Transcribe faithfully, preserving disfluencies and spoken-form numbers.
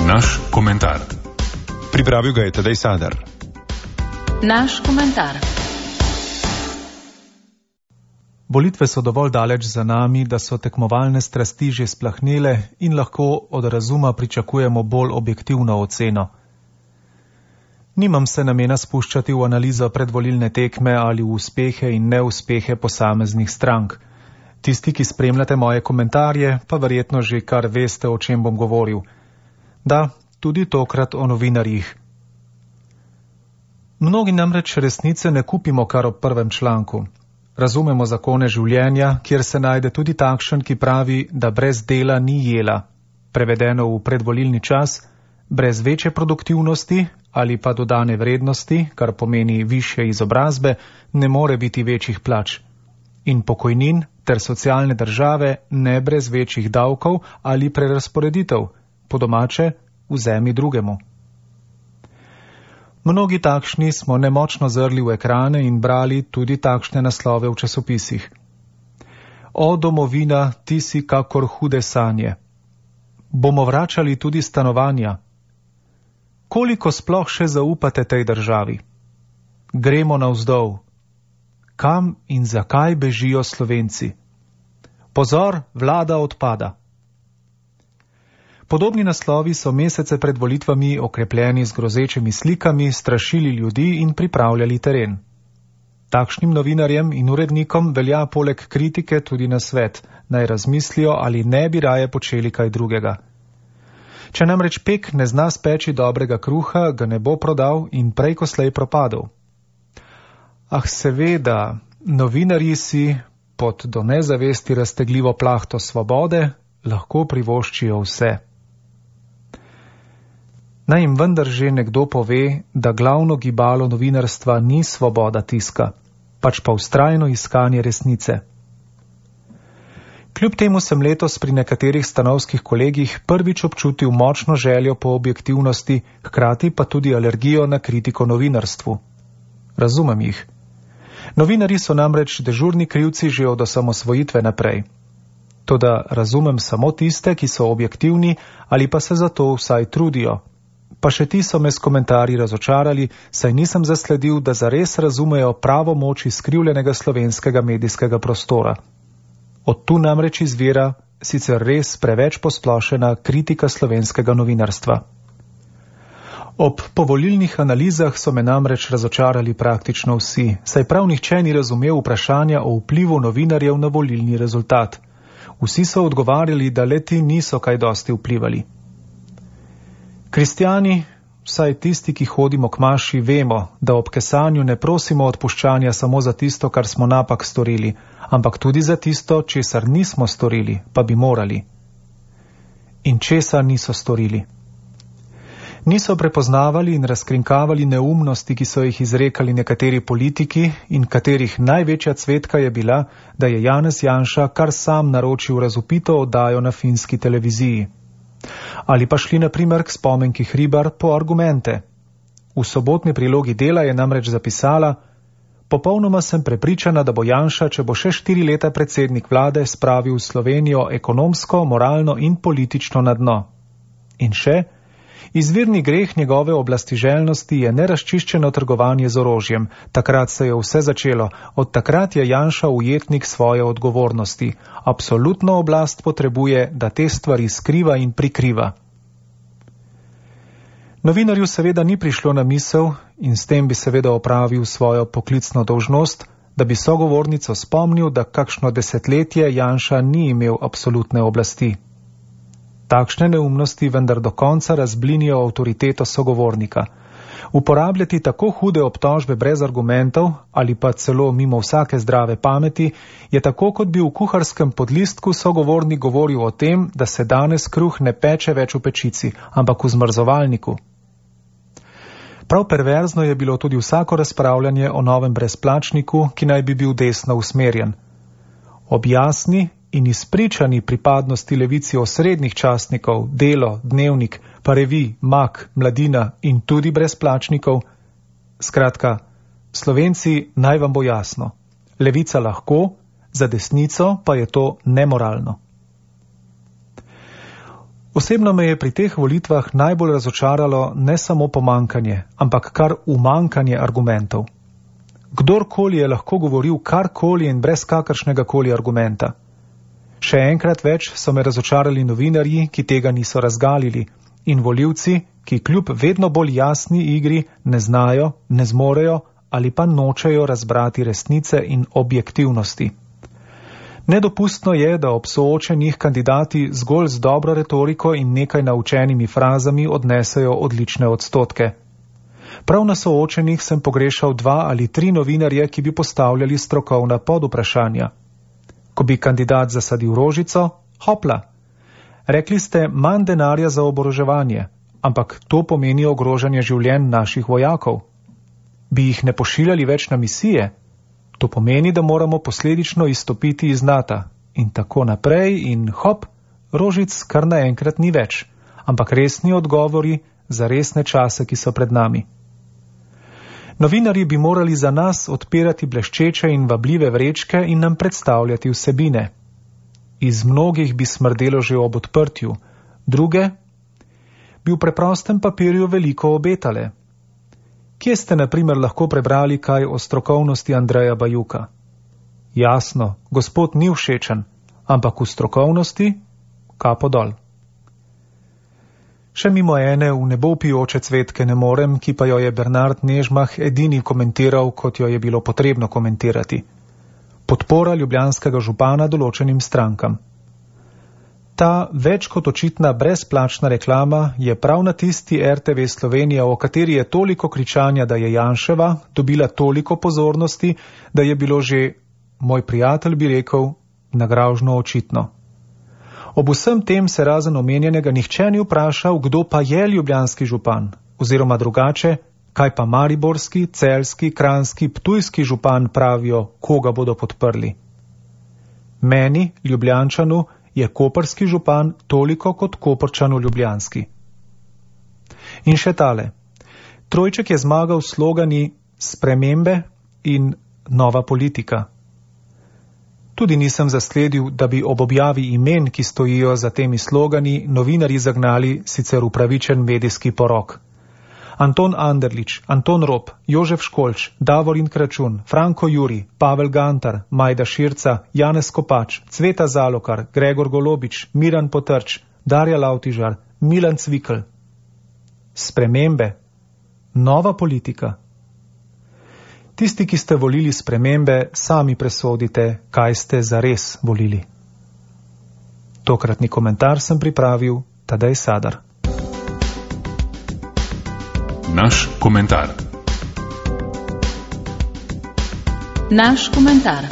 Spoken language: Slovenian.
Naš komentar. Pripravil ga je Tadej Sadar. Naš komentar. Volitve so dovolj daleč za nami, da so tekmovalne strasti že splahnele in lahko od razuma pričakujemo bolj objektivno oceno. Nimam se namena spuščati v analizo predvolilne tekme ali v uspehe in neuspehe posameznih strank. Tisti, ki spremljate moje komentarje, pa verjetno že kar veste, o čem bom govoril. Da, tudi tokrat o novinarjih. Mnogi namreč resnice ne kupimo kar ob prvem članku. Razumemo zakone življenja, kjer se najde tudi takšen, ki pravi, da brez dela ni jela. Prevedeno v predvolilni čas, brez večje produktivnosti ali pa dodane vrednosti, kar pomeni višje izobrazbe, ne more biti večjih plač. In pokojnin ter socialne države ne brez večjih davkov ali prerazporeditev, po domače vzemi drugemu. Mnogi takšni smo nemočno zrli v ekrane in brali tudi takšne naslove v časopisih. O domovina, ti si kakor hude sanje. Bomo vračali tudi stanovanja. Koliko sploh še zaupate tej državi? Gremo navzdol. Kam in zakaj bežijo Slovenci? Pozor, vlada odpada. Podobni naslovi so mesece pred volitvami okrepljeni z grozečimi slikami, strašili ljudi in pripravljali teren. Takšnim novinarjem in urednikom velja poleg kritike tudi nasvet, naj razmislijo, ali ne bi raje počeli kaj drugega. Če namreč pek ne zna speči dobrega kruha, ga ne bo prodal in prej ko slej propadel. Ah, seveda, novinarji si pod do nezavesti raztegljivo plahto svobode lahko privoščijo vse. Naj jim vendar že nekdo pove, da glavno gibalo novinarstva ni svoboda tiska, pač pa vztrajno iskanje resnice. Kljub temu sem letos pri nekaterih stanovskih kolegih prvič občutil močno željo po objektivnosti, hkrati pa tudi alergijo na kritiko novinarstvu. Razumem jih. Novinarji so namreč dežurni krivci že od osamosvojitve naprej. Toda razumem samo tiste, ki so objektivni ali pa se zato vsaj trudijo. Pa še ti so me s komentarji razočarali, saj nisem zasledil, da zares razumejo pravo moč izkrivljenega slovenskega medijskega prostora. Od tu namreč izvira sicer res preveč posplošena kritika slovenskega novinarstva. Ob povolilnih analizah so me namreč razočarali praktično vsi, saj prav nihče ni razumel vprašanja o vplivu novinarjev na volilni rezultat. Vsi so odgovarjali, da leti niso kaj dosti vplivali. Kristjani, vsaj tisti, ki hodimo k maši, vemo, da ob kesanju ne prosimo odpuščanja samo za tisto, kar smo napak storili, ampak tudi za tisto, česar nismo storili, pa bi morali. In česa niso storili? Niso prepoznavali in razkrinkavali neumnosti, ki so jih izrekali nekateri politiki in katerih največja cvetka je bila, da je Janez Janša kar sam naročil razvpito oddajo na finski televiziji. Ali pa šli na primer k spomenki Hribar po argumente. V sobotni prilogi Dela je namreč zapisala: popolnoma sem prepričana, da bo Janša, če bo še štiri leta predsednik vlade, spravil Slovenijo ekonomsko, moralno in politično na dno. In še, izvirni greh njegove oblastiželjnosti je nerazčiščeno trgovanje z orožjem. Takrat se je vse začelo. Od takrat je Janša ujetnik svoje odgovornosti. Absolutno oblast potrebuje, da te stvari skriva in prikriva. Novinarju seveda ni prišlo na misel in s tem bi seveda opravil svojo poklicno dolžnost, da bi sogovornico spomnil, da kakšno desetletje Janša ni imel absolutne oblasti. Takšne neumnosti vendar do konca razblinijo avtoriteto sogovornika. Uporabljati tako hude obtožbe brez argumentov ali pa celo mimo vsake zdrave pameti je tako, kot bi v kuharskem podlistku sogovornik govoril o tem, da se danes kruh ne peče več v pečici, ampak v zmrzovalniku. Prav perverzno je bilo tudi vsako razpravljanje o novem brezplačniku, ki naj bi bil desno usmerjen. Objasni in izpričani pripadnosti levici osrednjih časnikov, Delo, Dnevnik, pa Revij, Mak, Mladina in tudi brezplačnikov. Skratka, Slovenci, naj vam bo jasno. Levica lahko, za desnico pa je to nemoralno. Osebno me je pri teh volitvah najbolj razočaralo ne samo pomankanje, ampak kar umankanje argumentov. Kdorkoli je lahko govoril karkoli in brez kakršnega koli argumenta. Še enkrat več so me razočarali novinarji, ki tega niso razgalili, in volivci, ki kljub vedno bolj jasni igri ne znajo, ne zmorejo ali pa nočejo razbrati resnice in objektivnosti. Nedopustno je, da ob soočenih kandidati zgolj z dobro retoriko in nekaj naučenimi frazami odnesejo odlične odstotke. Prav na soočenih sem pogrešal dva ali tri novinarje, ki bi postavljali strokovna podvprašanja. Ko bi kandidat zasadil rožico, hopla. Rekli ste manj denarja za oboroževanje, ampak to pomeni ogrožanje življenj naših vojakov. Bi jih ne pošiljali več na misije? To pomeni, da moramo posledično izstopiti iz Nata. In tako naprej in hop, rožic kar naenkrat ni več, ampak resni odgovori za resne čase, ki so pred nami. Novinarji bi morali za nas odpirati bleščeče in vabljive vrečke in nam predstavljati vsebine. Iz mnogih bi smrdelo že ob odprtju, druge bi v preprostem papirju veliko obetale. Kje ste na primer lahko prebrali kaj o strokovnosti Andreja Bajuka? Jasno, gospod ni všečen, ampak v strokovnosti kapo dol. Še mimo ene v nebo vpijoče cvetke ne morem, ki pa jo je Bernard Nežmah edini komentiral, kot jo je bilo potrebno komentirati. Podpora ljubljanskega župana določenim strankam. Ta več kot očitna brezplačna reklama je prav na tisti R T V Slovenija, o kateri je toliko kričanja, da je Janševa, dobila toliko pozornosti, da je bilo že, moj prijatelj bi rekel, nagražno očitno. Ob vsem tem se razen omenjenega nihče ni vprašal, kdo pa je ljubljanski župan, oziroma drugače, kaj pa mariborski, celjski, kranjski, ptujski župan pravijo, koga bodo podprli. Meni, Ljubljančanu, je koprski župan toliko kot Koprčanu ljubljanski. In še tale. Trojček je zmagal s slogani spremembe in nova politika. Tudi nisem zasledil, da bi ob objavi imen, ki stojijo za temi slogani, novinarji zagnali sicer upravičen medijski porok. Anton Anderlič, Anton Rop, Jožef Školč, Davorin Kračun, Franko Juri, Pavel Gantar, Majda Širca, Janez Kopač, Cveta Zalokar, Gregor Golobič, Miran Potrč, Darja Lavtižar, Milan Cvikl. Spremembe. Nova politika. Tisti, ki ste volili spremembe, sami presodite, kaj ste zares volili. Tokratni komentar sem pripravil Tadej Sadar. Naš komentar. Naš komentar.